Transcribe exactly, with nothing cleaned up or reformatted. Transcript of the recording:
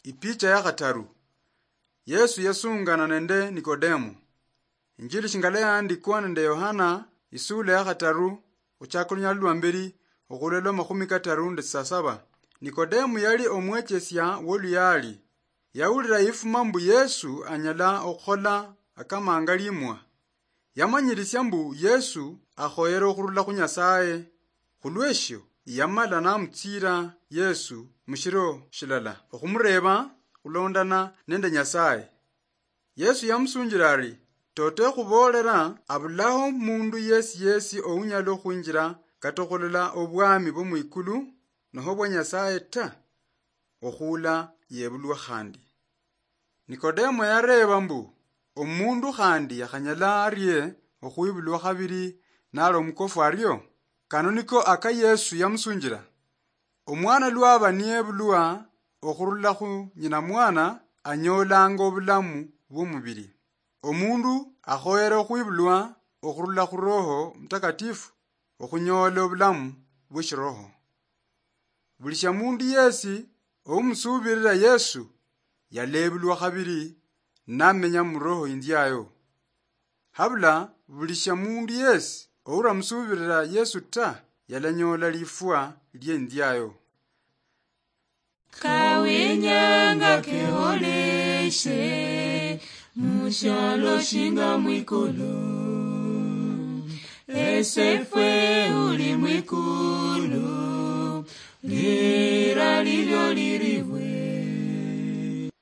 Ipicha ya khataru. Yesu yasungana nende Nikodemo. Injili shingala yaandikwa nende Yohana, isula ya khataru, khuchaka olunyala lwa mberi, okhula lwa makhumi kataru nende sasaba. Nikodemo yali omwechesia woluyali. Yawulira yifuma mbu Yesu anyala okhukhola akamanga limwa. Yamanyirisia mbu Yesu akhoyere okhurula khu Nyasaye. Khulweshio, yamala namutsiira Yesu mushiro shilala okhumureeba khulondana nende Nyasaye. Yesu yamusunjira ari, "Toto ekhuboolera, abulaho mundu yesi yesi ounyala okhwinjira kata okhulola obwami bwo mwikulu noho bwa Nyasaye ta, okhuula yebulwa khandi." Nikodemo yareeba mbu, "Omundu khandi yakhanyala arie okhwibulwa khabiri nali omukofu ario?" Kano niko aka Yesu yamusunjira, "Omwana lwaba niyebulwa okhurula khu nyina mwana, anyoolanga obulamu bw'omubiri. Omundu akhoyere okhwibulwa okhurula khu Roho Mutakatifu okhunyoola obulamu bw'eshiroho." Buli shia mundu yesi oumusuubirira Yesu, yaleebulwa khabiri, namenya mu Roho Inziayo. Habula buli shia mundu yesi ouramusuubirira Yesu ta, yalanyoola lifwa lienziayo. Kawinyanga keholeshe, mushialo shinga mwikulu. Esefwe uli mwikulu, lira lilio liribwe.